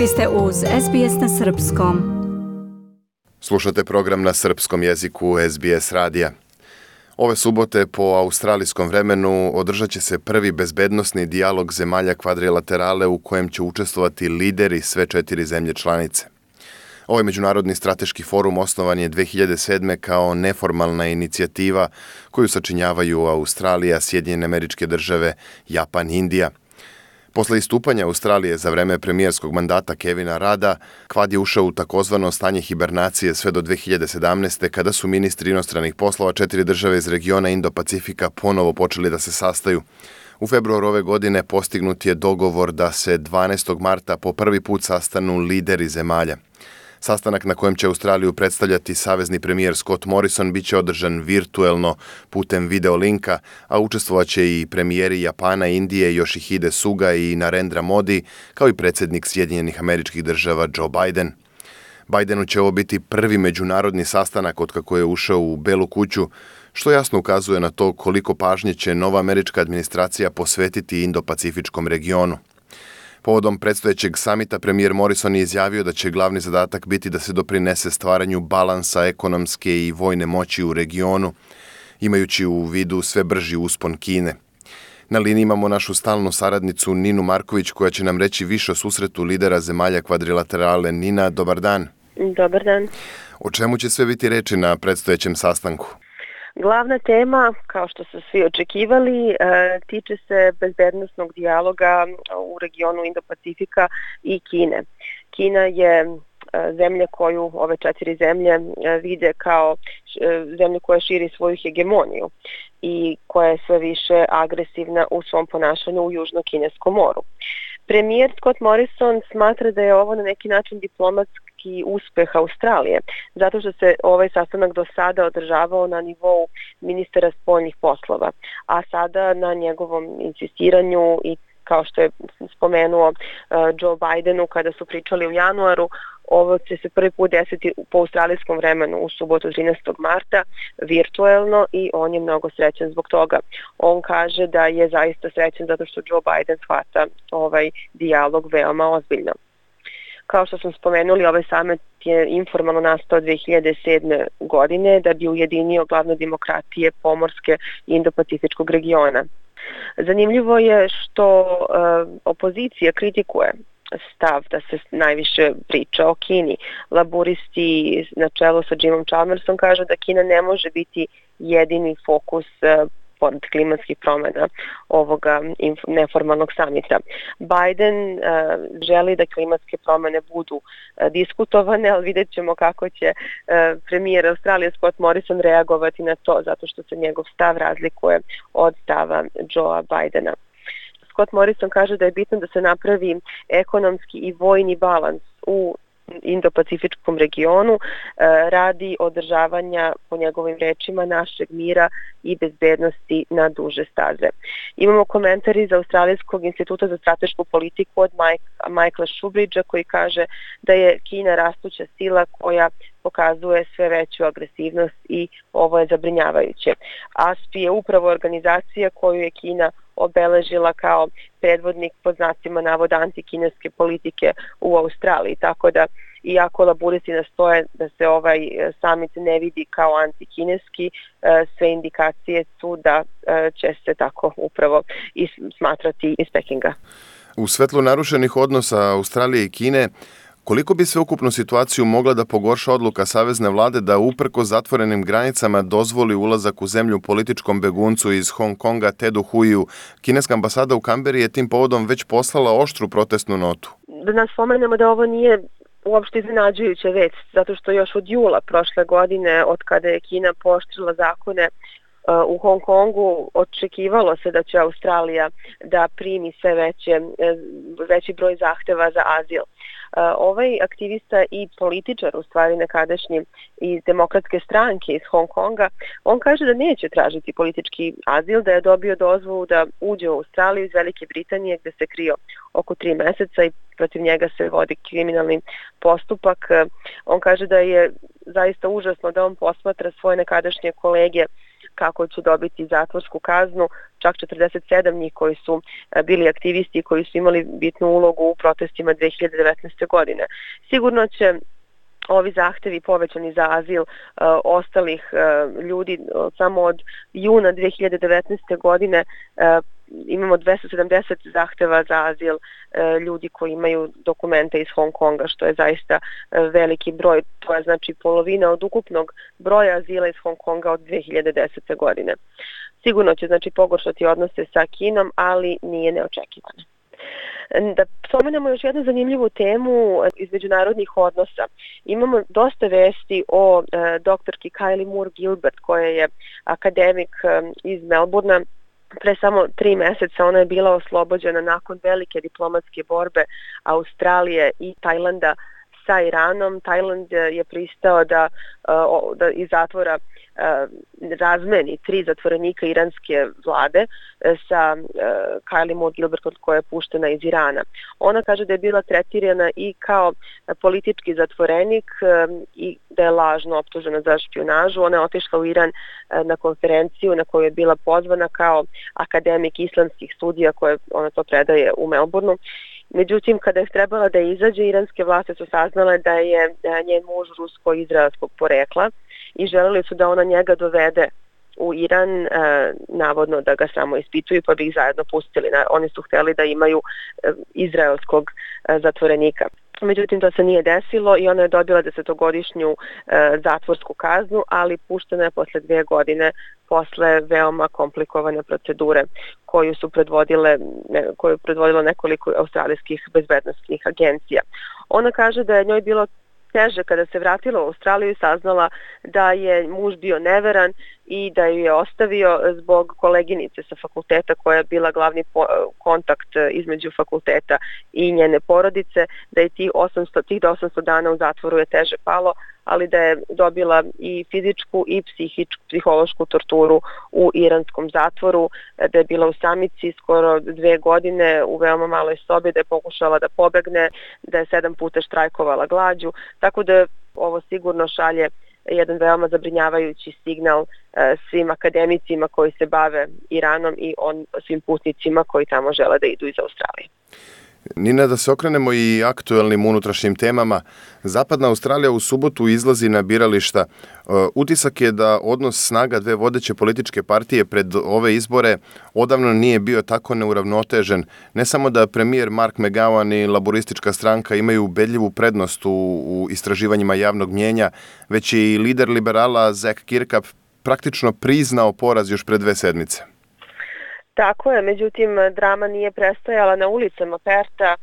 Vi ste uz SBS na Srpskom. Slušate program na srpskom jeziku SBS radija. Ove subote po australijskom vremenu održat će se prvi bezbednosni dijalog zemalja kvadrilaterale u kojem će učestvovati lideri sve 4 zemlje članice. Ovaj međunarodni strateški forum osnovan je 2007. kao neformalna inicijativa koju sačinjavaju Australija, Sjedinjene Američke Države, Japan i Indija. Posle istupanja Australije za vreme premijerskog mandata Kevina Rada, Kvad je ušao u takozvano stanje hibernacije sve do 2017. kada su ministri inostranih poslova 4 države iz regiona Indo-Pacifika ponovo počeli da se sastaju. U februaru ove godine postignut je dogovor da se 12. marta po prvi put sastanu lideri zemalja. Sastanak na kojem će Australiju predstavljati savezni premijer Scott Morrison biće održan virtuelno putem videolinka, a učestvovaće i premijeri Japana, Indije, Yoshihide Suga i Narendra Modi, kao i predsjednik Sjedinjenih Američkih Država Joe Biden. Bidenu će ovo biti prvi međunarodni sastanak od kako je ušao u Belu kuću, što jasno ukazuje na to koliko pažnje će nova američka administracija posvetiti Indo-Pacifičkom regionu. Povodom predstojećeg samita premijer Morrison je izjavio da će glavni zadatak biti da se doprinese stvaranju balansa ekonomske i vojne moći u regionu, imajući u vidu sve brži uspon Kine. Na liniji imamo našu stalnu saradnicu Ninu Marković koja će nam reći više o susretu lidera zemalja kvadrilaterale. Nina, dobar dan. Dobar dan. O čemu će sve biti reči na predstojećem sastanku? Glavna tema, kao što su svi očekivali, tiče se bezbednosnog dijaloga u regionu Indo-Pacifika i Kine. Kina je zemlja koju ove 4 zemlje vide kao zemlju koja širi svoju hegemoniju i koja je sve više agresivna u svom ponašanju u Južno-Kineskom moru. Premijer Scott Morrison smatra da je ovo na neki način diplomatski uspeh Australije, zato što se ovaj sastanak do sada održavao na nivou ministara spoljnih poslova, a sada na njegovom insistiranju i kao što je spomenuo Joe Bidenu kada su pričali u januaru, ovo će se prvi put desiti po australijskom vremenu u subotu 13. marta virtuelno i on je mnogo srećan zbog toga. On kaže da je zaista srećan zato što Joe Biden shvata ovaj dijalog veoma ozbiljno. Kao što smo spomenuli, ovaj summit je informalno nastao 2007. godine da bi ujedinio glavne demokratije pomorske Indo-Pacifičkog regiona. Zanimljivo je što opozicija kritikuje stav da se najviše priča o Kini. Laburisti na čelu sa Jimom Chalmersom kažu da Kina ne može biti jedini fokus pored klimatskih promjena ovoga neformalnog samita. Biden želi da klimatske promjene budu diskutovane, ali vidjet ćemo kako će premijer Australije Scott Morrison reagovati na to, zato što se njegov stav razlikuje od stava Joea Bidena. Scott Morrison kaže da je bitno da se napravi ekonomski i vojni balans u Indo-Pacifičkom regionu radi održavanja, po njegovim rečima, našeg mira i bezbednosti na duže staze. Imamo komentar iz Australijskog instituta za stratešku politiku od Michaela Shoebridgea koji kaže da je Kina rastuća sila koja pokazuje sve veću agresivnost i ovo je zabrinjavajuće. ASPI je upravo organizacija koju je Kina obeležila kao predvodnik pod znacima navoda antikineske politike u Australiji, tako da iako laburisti nastoje da se ovaj summit ne vidi kao antikineski, sve indikacije su da će se tako upravo i smatrati iz Pekinga. U svetlu narušenih odnosa Australije i Kine, koliko bi sveukupnu situaciju mogla da pogorša odluka savezne vlade da uprkos zatvorenim granicama dozvoli ulazak u zemlju političkom beguncu iz Hong Konga Tedu Huiju? Kineska ambasada u Kamberi je tim povodom već poslala oštru protestnu notu. Da nas spomenemo da ovo nije uopšte iznenađujuća vest, zato što još od jula prošle godine, od kada je Kina pooštrila zakone u Hong Kongu, očekivalo se da će Australija da primi sve veći broj zahteva za azil. Ovaj aktivista i političar, u stvari nekadašnji iz demokratske stranke iz Hong Konga, on kaže da neće tražiti politički azil, da je dobio dozvolu da uđe u Australiju iz Velike Britanije gdje se krio oko 3 meseca i protiv njega se vodi kriminalni postupak. On kaže da je zaista užasno da on posmatra svoje nekadašnje kolege kako će dobiti zatvorsku kaznu, čak 47 njih koji su bili aktivisti i koji su imali bitnu ulogu u protestima 2019. godine. Sigurno će ovi zahtevi povećani za azil ostalih ljudi samo od juna 2019. godine imamo 270 zahteva za azil ljudi koji imaju dokumente iz Hong Konga, što je zaista veliki broj. To je znači polovina od ukupnog broja azila iz Hong Konga od 2010. godine. Sigurno će znači pogoršati odnose sa Kinom, ali nije neočekivano. Da spomenemo još jednu zanimljivu temu iz međunarodnih odnosa. Imamo dosta vesti o doktorki Kylie Moore Gilbert, koja je akademik iz Melbourna. Pre samo 3 meseca ona je bila oslobođena nakon velike diplomatske borbe Australije i Tajlanda sa Iranom. Tajland je pristao da iz zatvora razmeni 3 zatvorenika iranske vlade sa Kylie Moore Gilbert, koja je puštena iz Irana. Ona kaže da je bila tretirana i kao politički zatvorenik i da je lažno optužena za špijunažu. Ona je otišla u Iran na konferenciju na koju je bila pozvana kao akademik islamskih studija, koje ona to predaje u Melbourneu. Međutim, kada je trebala da izađe, iranske vlasti su saznale da je njen muž rusko-izraelskog porekla i želeli su da ona njega dovede u Iran, navodno da ga samo ispituju, pa bi ih zajedno pustili. Oni su hteli da imaju izraelskog zatvorenika. Međutim, to se nije desilo i ona je dobila 10-godišnju zatvorsku kaznu, ali puštena je posle 2 godine posle veoma komplikovane procedure koju je predvodilo nekoliko australijskih bezbednosnih agencija. Ona kaže da je njoj bilo teže kada se vratila u Australiju i saznala da je muž bio neveran i da ju je ostavio zbog koleginice sa fakulteta koja je bila glavni kontakt između fakulteta i njene porodice, da je tih 800 dana u zatvoru je teže palo, ali da je dobila i fizičku i psihološku torturu u iranskom zatvoru, da je bila u samici skoro 2 godine u veoma maloj sobi, da je pokušala da pobegne, da je 7 puta štrajkovala glađu, tako da ovo sigurno šalje jedan veoma zabrinjavajući signal svim akademicima koji se bave Iranom i svim putnicima koji tamo žele da idu iz Australije. Nina, da se okrenemo i aktuelnim unutrašnjim temama. Zapadna Australija u subotu izlazi na birališta. Utisak je da odnos snaga 2 vodeće političke partije pred ove izbore odavno nije bio tako neuravnotežen. Ne samo da premijer Mark McGowan i laboristička stranka imaju ubedljivu prednost u istraživanjima javnog mnjenja, već i lider liberala Zac Kirkup praktično priznao poraz još pred 2 sedmice. Tako je, međutim drama nije prestajala na ulicama Perta.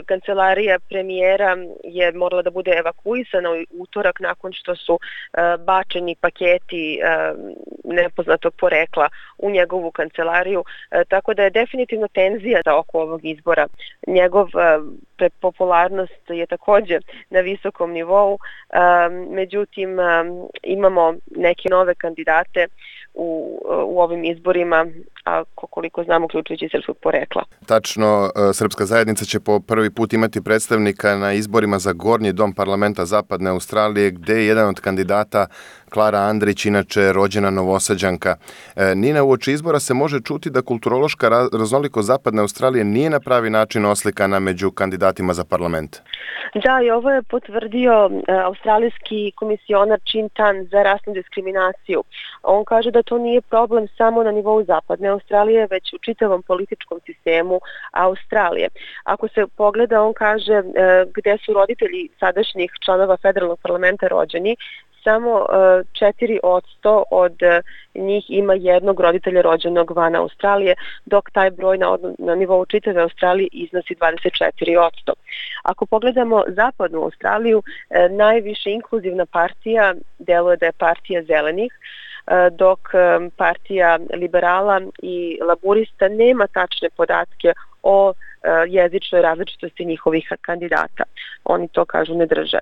Kancelarija premijera je morala da bude evakuisana u utorak nakon što su bačeni paketi nepoznatog porekla u njegovu kancelariju, tako da je definitivno tenzija oko ovog izbora. Njegov popularnost je također na visokom nivou, međutim imamo neke nove kandidate u ovim izborima, a koliko znamo uključujući srpskog porekla. Tačno, srpska zajednica će po prvi put imati predstavnika na izborima za Gornji dom parlamenta Zapadne Australije, gde je jedan od kandidata Klara Andrić, inače rođena Novosađanka. Nina, uoči izbora se može čuti da kulturološka raznolikost Zapadne Australije nije na pravi način oslikana među kandidatima za parlament. Da, i ovo je potvrdio australijski komisionar Chin Tan za rasnu diskriminaciju. On kaže da to nije problem samo na nivou Zapadne Australije, već u čitavom političkom sistemu Australije. Ako se pogleda, on kaže gde su roditelji sadašnjih članova federalnog parlamenta rođeni, samo 4% od njih ima jednog roditelja rođenog van Australije, dok taj broj na nivou čitave Australije iznosi 24%. Ako pogledamo Zapadnu Australiju, najviše inkluzivna partija deluje da je partija zelenih, dok partija liberala i laburista nema tačne podatke o jezičnoj različitosti njihovih kandidata. Oni to, kažu, ne drže.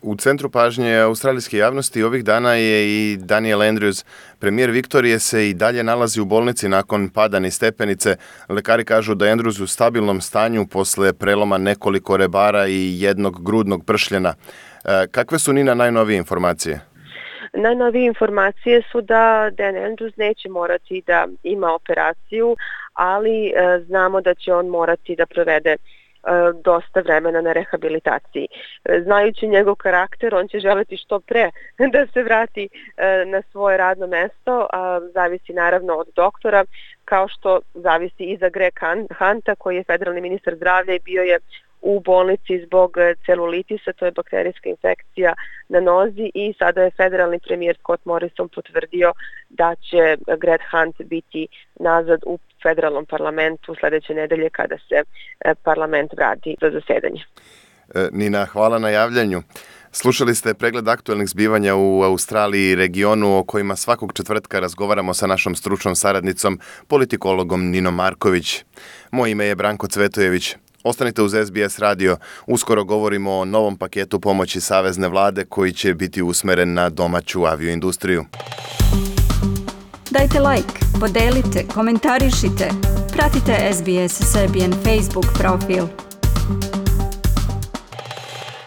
U centru pažnje australijske javnosti ovih dana je i Daniel Andrews. Premijer Viktorije se i dalje nalazi u bolnici nakon pada niz stepenice. Lekari kažu da je Andrews u stabilnom stanju posle preloma nekoliko rebara i jednog grudnog pršljena. Kakve su, Nina, najnovije informacije? Najnovije informacije su da Dan Andrews neće morati da ima operaciju, ali znamo da će on morati da provede dosta vremena na rehabilitaciji. Znajući njegov karakter, on će želeti što pre da se vrati na svoje radno mesto, zavisi naravno od doktora, kao što zavisi i za Greg Hunta, koji je federalni ministar zdravlja i bio je u bolnici zbog celulitisa, to je bakterijska infekcija na nozi, i sada je federalni premijer Scott Morrison potvrdio da će Greg Hunt biti nazad u federalnom parlamentu sledeće nedelje kada se parlament vrati za zasedanje. Nina, hvala na javljanju. Slušali ste pregled aktuelnih zbivanja u Australiji i regionu o kojima svakog četvrtka razgovaramo sa našom stručnom saradnicom, politikologom Ninom Marković. Moje ime je Branko Cvetojević. Ostanite uz SBS radio. Uskoro govorimo o novom paketu pomoći Savezne vlade koji će biti usmeren na domaću avioindustriju. Dajte like, podelite, komentarišite. Pratite SBS Serbian Facebook profil.